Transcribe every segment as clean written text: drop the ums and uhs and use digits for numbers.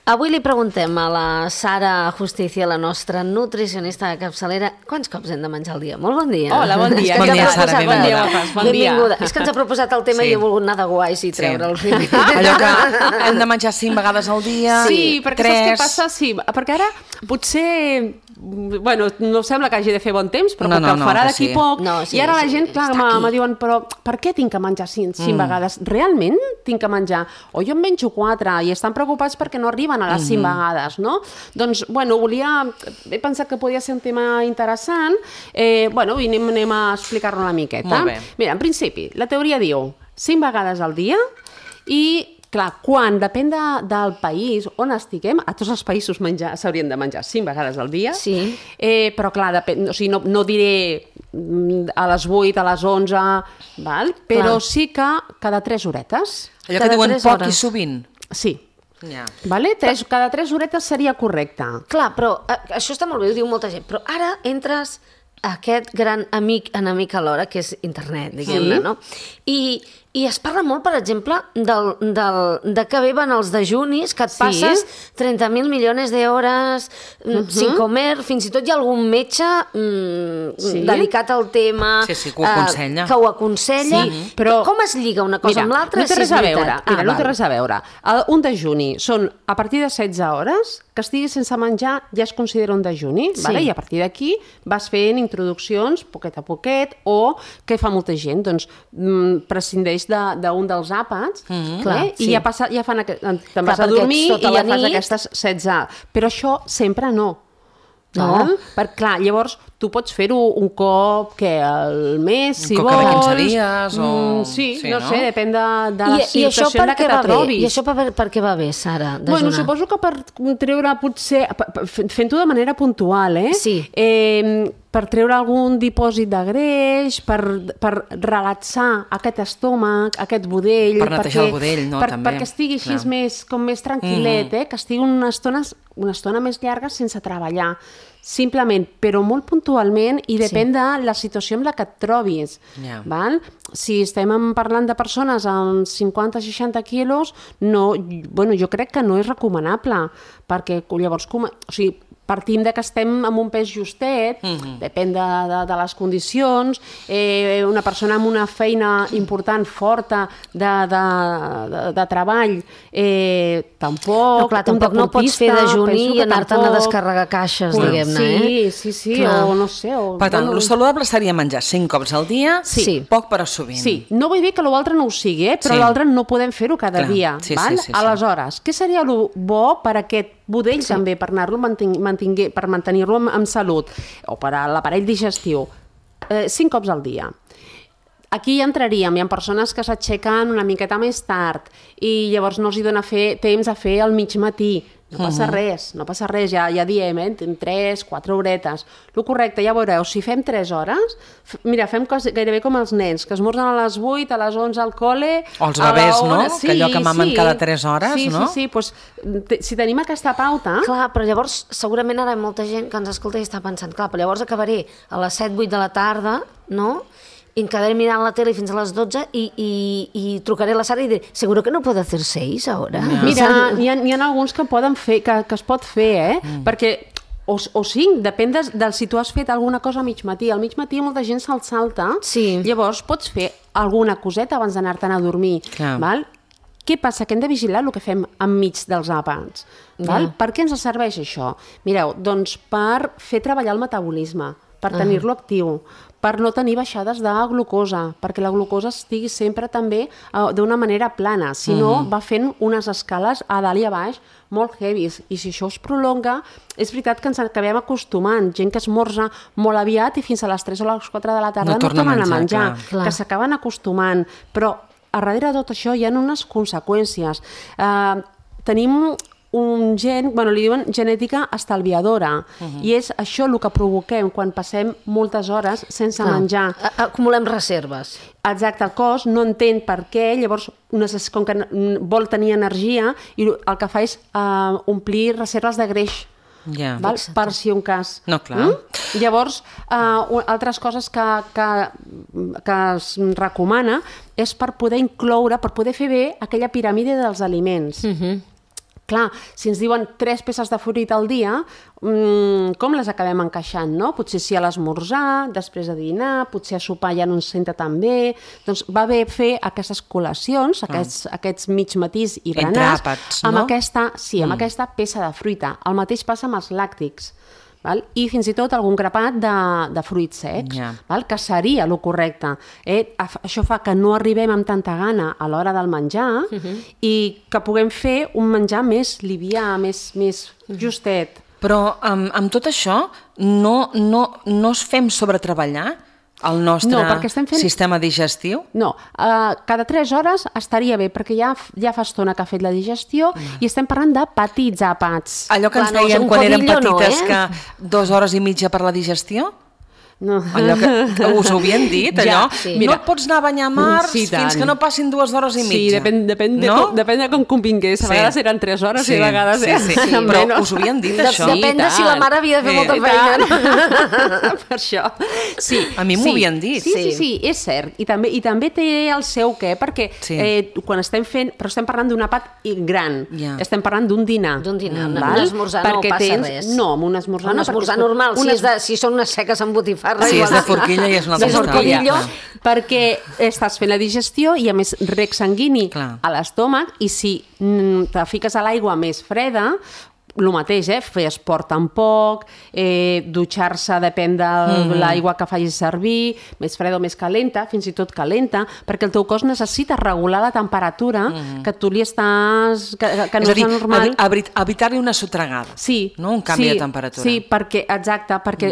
Avui li preguntem a la Sara Justicia, la nostra nutricionista de capçalera, quants cops hem de menjar al dia? Molt bon dia. Hola, bon dia. Bon dia, Sara, benvinguda. Benvinguda. És que ens ha proposat el tema i he volgut anar de guais i treure el primer. Allò que hem de menjar 5 vegades al dia, Sí, perquè 3... saps què passa? Sí, perquè ara potser... Bueno, no sembla que hagi de fer bon temps, però que farà d'aquí poc. I ara la gent, clar, me diuen, però per què tinc que menjar 5 vegades? Realment tinc que menjar? O jo en menjo 4 i estan preocupats perquè no arriben a les 5 vegades, no? Doncs, bueno, he pensat que podia ser un tema interessant, bueno, i anem a explicar-lo una miqueta. Molt bé. Mira, en principi, la teoria diu 5 vegades al dia i clar, depèn del país on estiguem, a tots els països s'haurien de menjar 5 vegades al dia, però clar, no diré a les 8, a les 11, però sí que cada 3 horetes. Allò que diuen poc i sovint. Sí. Cada 3 horetes seria correcte. Clar, però això està molt bé, ho diu molta gent, però ara entres aquest gran enemic alhora, que és internet, diguem-ne, no? I es parla molt, per exemple, de que bé van els dejunis, que et passes 30.000 milions d'hores sin comer, fins i tot hi ha algun metge dedicat al tema que ho aconsella. Però com es lliga una cosa amb l'altra? No té res a veure. No té res a veure. Un dejuni són a partir de 16 hores, que estiguis sense menjar ja es considera un dejuni, i a partir d'aquí vas fent introduccions poquet a poquet, o què fa molta gent? Doncs prescindeix d'un dels àpats i ja fan... Te'n vas a dormir i ja fas aquestes 16. Però això sempre no. Perquè, clar, llavors tu pots fer-ho un cop al mes, si vols. Un cop cada 15 dies o... Sí, no sé, depèn de la situació en la que te trobis. I això per què va bé, Sara, dejunar? Bueno, suposo que per treure potser... Fent-ho de manera puntual, per treure algun dipòsit de greix, per relaxar aquest estómac, aquest budell... Per netejar el budell, no? També. Perquè estigui així més tranquil·let, que estigui una estona més llarga sense treballar. Simplement, però molt puntualment, i depèn de la situació en la que et trobis. Si estem parlant de persones amb 50-60 quilos, jo crec que no és recomanable, perquè llavors, partim que estem amb un pes justet, depèn de les condicions, una persona amb una feina important, forta, de treball, tampoc... Tampoc no pots fer dejuni i anar-te'n a descarregar caixes, diguem-ne. Sí, o no sé... Per tant, el saludable seria menjar 5 cops al dia, poc però sovint. Sí, no vull dir que l'altre no ho sigui, però l'altre no podem fer-ho cada dia. Aleshores, què seria el bo per aquest budell també, per mantenir-lo amb salut, o per a l'aparell digestiu? 5 cops al dia. Aquí entraríem, hi ha persones que s'aixequen una miqueta més tard i llavors no els dona temps a fer al mig matí. No passa res, ja diem, 3-4 horetes. El correcte, ja veureu, si fem 3 hores, mira, fem gairebé com els nens, que esmorzen a les 8, a les 11 al col·le... O els bebès, no? Que allò que mamen cada 3 hores, no? Sí, doncs si tenim aquesta pauta... Clar, però llavors segurament ara hi ha molta gent que ens escolta i està pensant, clar, però llavors acabaré a les 7-8 de la tarda, no?, i em quedaré mirant la tele fins a les 12 i trucaré a la Sara i diré, seguro que no puedo hacer 6 ahora? Mira, hi ha alguns que poden fer, que es pot fer, perquè o 5, depèn del si tu has fet alguna cosa a mig matí. Al mig matí molta gent se'l salta, llavors pots fer alguna coseta abans d'anar-te'n a dormir. Què passa? Que hem de vigilar el que fem enmig dels àpats. Per què ens serveix això? Mireu, doncs per fer treballar el metabolisme, per tenir-lo actiu, per no tenir baixades de glucosa, perquè la glucosa estigui sempre també d'una manera plana, si no va fent unes escales a dalt i a baix molt heavies, i si això es prolonga, és veritat que ens acabem acostumant, gent que esmorza molt aviat i fins a les 3 o les 4 de la tarda no tornen a menjar, que s'acaben acostumant, però a darrere de tot això hi ha unes conseqüències. Tenim un gen, li diuen genètica estalviadora, i és això el que provoquem quan passem moltes hores sense menjar. Acumulem reserves. Exacte, el cos no entén per què, llavors com que vol tenir energia i el que fa és omplir reserves de greix. Per si un cas. No, clar. Llavors, altres coses que es recomana és per poder incloure, per poder fer bé aquella piràmide dels aliments. clar, si ens diuen 3 peces de fruita al dia, com les acabem encaixant, no? Potser sí a l'esmorzar, després de dinar, potser a sopar ja no ens senta tan bé. Doncs va bé fer aquestes col·lacions, aquests mig matís i berenars, amb aquesta peça de fruita. El mateix passa amb els làctics. Val? I fins i tot algun grapat de fruits secs, val? Que seria el correcte. Això fa que no arribem amb tanta gana a l'hora del menjar i que puguem fer un menjar més livià, més justet. Però amb tot això no es fem sobretreballar el nostre sistema digestiu? No, cada 3 hores estaria bé, perquè ja fa estona que ha fet la digestió i estem parlant de petits àpats. Allò que ens deien quan érem petites, que 2 hores i mitja per la digestió? No. Allò que us ho havien dit, allò? No et pots anar a banyar març fins que no passin 2 hores i mitja. Sí, depèn de com convingués. A vegades eren 3 hores i a vegades... Però us ho havien dit, això? Depèn de si la mare havia de fer molta feina. Per això. A mi m'ho havien dit. Sí, és cert. I també té el seu què, perquè quan estem fent... Però estem parlant d'un àpat gran. Estem parlant d'un dinar. D'un dinar. Un esmorzar no passa res. No, amb un esmorzar no. Un esmorzar normal, si són unes seques amb botifarra. Sí, és de forquilla i és una altra història. Perquè estàs fent la digestió i a més rec sanguini a l'estómac i si te fiques a l'aigua més freda, el mateix, fer esport tampoc, dutxar-se depèn de l'aigua que facis servir, més freda o més calenta, fins i tot calenta, perquè el teu cos necessita regular la temperatura que tu li estàs... que no és normal. Evitar-li una sotregada, no? Un canvi de temperatura. Sí, perquè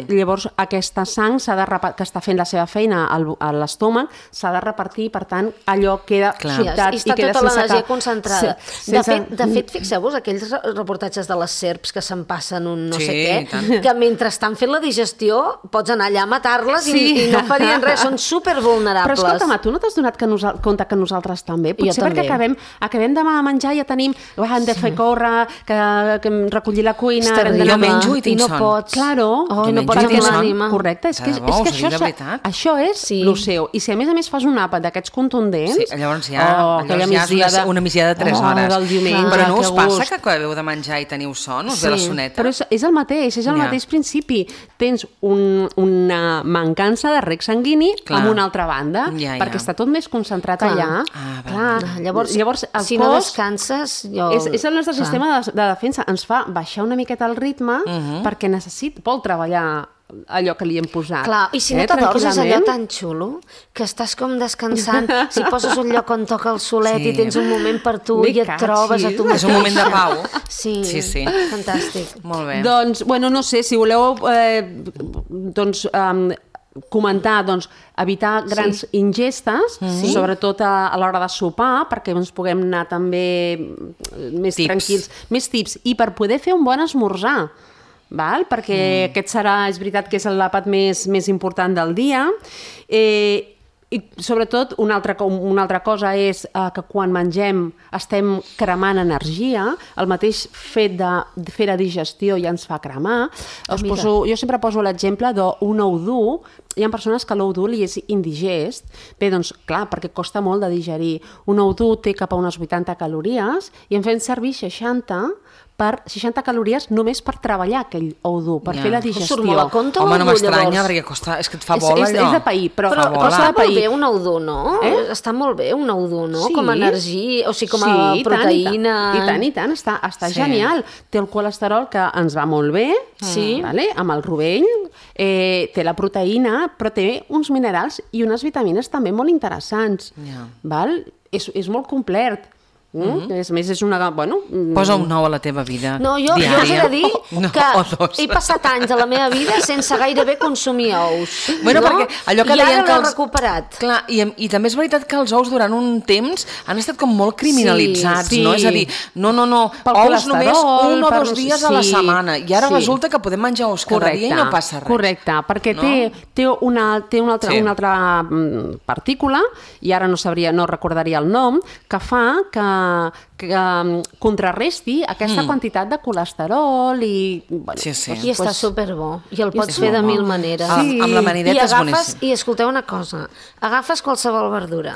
llavors aquesta sang que està fent la seva feina a l'estómac s'ha de repartir, per tant, allò queda sobtat i queda sense cap... Està tota l'energia concentrada. De fet, fixeu-vos, aquells reportatges de les serps que se'n passen un no sé què, que mentre estan fent la digestió pots anar allà a matar-les i no farien res, són supervulnerables. Però escolta'm, tu no t'has donat compte que nosaltres també? Potser perquè acabem de menjar i ja tenim, hem de fer córrer, que recollir la cuina... Jo menjo i tinc son. No pots. Claro. No pots tenir l'ànima. Correcte, és que això és el seu. I si a més fas un àpat d'aquests contundents... Llavors ja és una migdiada de 3 hores. Però no us passa que acabeu de menjar i teniu son, us ve la soneta? Però és el mateix principi. Tens una mancança de rec sanguini amb una altra banda, perquè està tot més concentrat allà. Llavors si no descanses... És el nostre sistema de defensa. Ens fa baixar una miqueta el ritme perquè vol treballar allò que li hem posat. Clar, i si no t'adors és allò tan xulo que estàs com descansant, si poses un lloc on toca el solet i tens un moment per tu i et trobes a tu mateix. És un moment de pau. Sí, fantàstic. Molt bé. Doncs, no sé, si voleu comentar, evitar grans ingestes, sobretot a l'hora de sopar, perquè ens puguem anar també més tranquils, més tips, i per poder fer un bon esmorzar. Perquè aquest és veritat que és l'àpat més important del dia, i sobretot una altra cosa és que quan mengem estem cremant energia, el mateix fet de fer la digestió ja ens fa cremar. Jo sempre poso l'exemple d'un ou dur. Hi ha persones que l'ou dur li és indigest. Bé, doncs clar, perquè costa molt de digerir. Un ou dur té cap a unes 80 calories i en fem servir 60 calories només per treballar aquell ou dur, per fer la digestió. Surt molt a compte no m'estranya, perquè és que et fa bola allò. És de pair, però està molt bé un ou dur, no? Està molt bé un ou dur, no? Com a energia, o sigui, com a proteïna. I tant, està genial. Té el colesterol que ens va molt bé, amb el rovell, té la proteïna, però té uns minerals i unes vitamines també molt interessants. És molt complet. A més, és una... Posa un ou a la teva vida. No, jo us he de dir que he passat anys a la meva vida sense gairebé consumir ous. Perquè allò que i deien ara l'he recuperat. Clar, i també és veritat que els ous durant un temps han estat com molt criminalitzats, no? És a dir, no, ous només 1 o 2 dies a la setmana. I ara resulta que podem menjar ous cada dia i no passa res. Correcte, perquè té una altra partícula, i ara no recordaria el nom, que fa que contrarresti aquesta quantitat de colesterol i... I està superbo. I el pots fer de 1000 maneres. Amb l'amanideta és boníssim. I escolteu una cosa, agafes qualsevol verdura,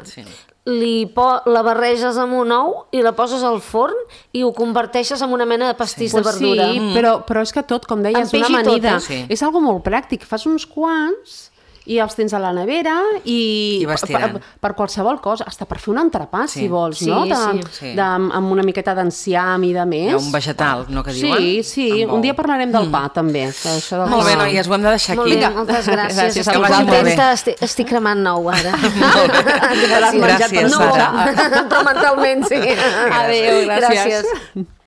la barreges amb un ou i la poses al forn i ho converteixes en una mena de pastís de verdura. Sí, però és que tot, com deies, una amanida. És algo molt pràctic. Fas uns quants i els tens a la nevera i per qualsevol cosa, hasta per fer un entrepà, si vols, no? Amb una miqueta d'enciam i de més. Un vegetal, no, que diuen? Sí, un dia parlarem del pa, també. Molt bé, noies, ho hem de deixar aquí. Molt bé, moltes gràcies. Estic contenta, estic cremant nou, ara. Gràcies, Sara. Però mentalment, sí. Adéu, gràcies.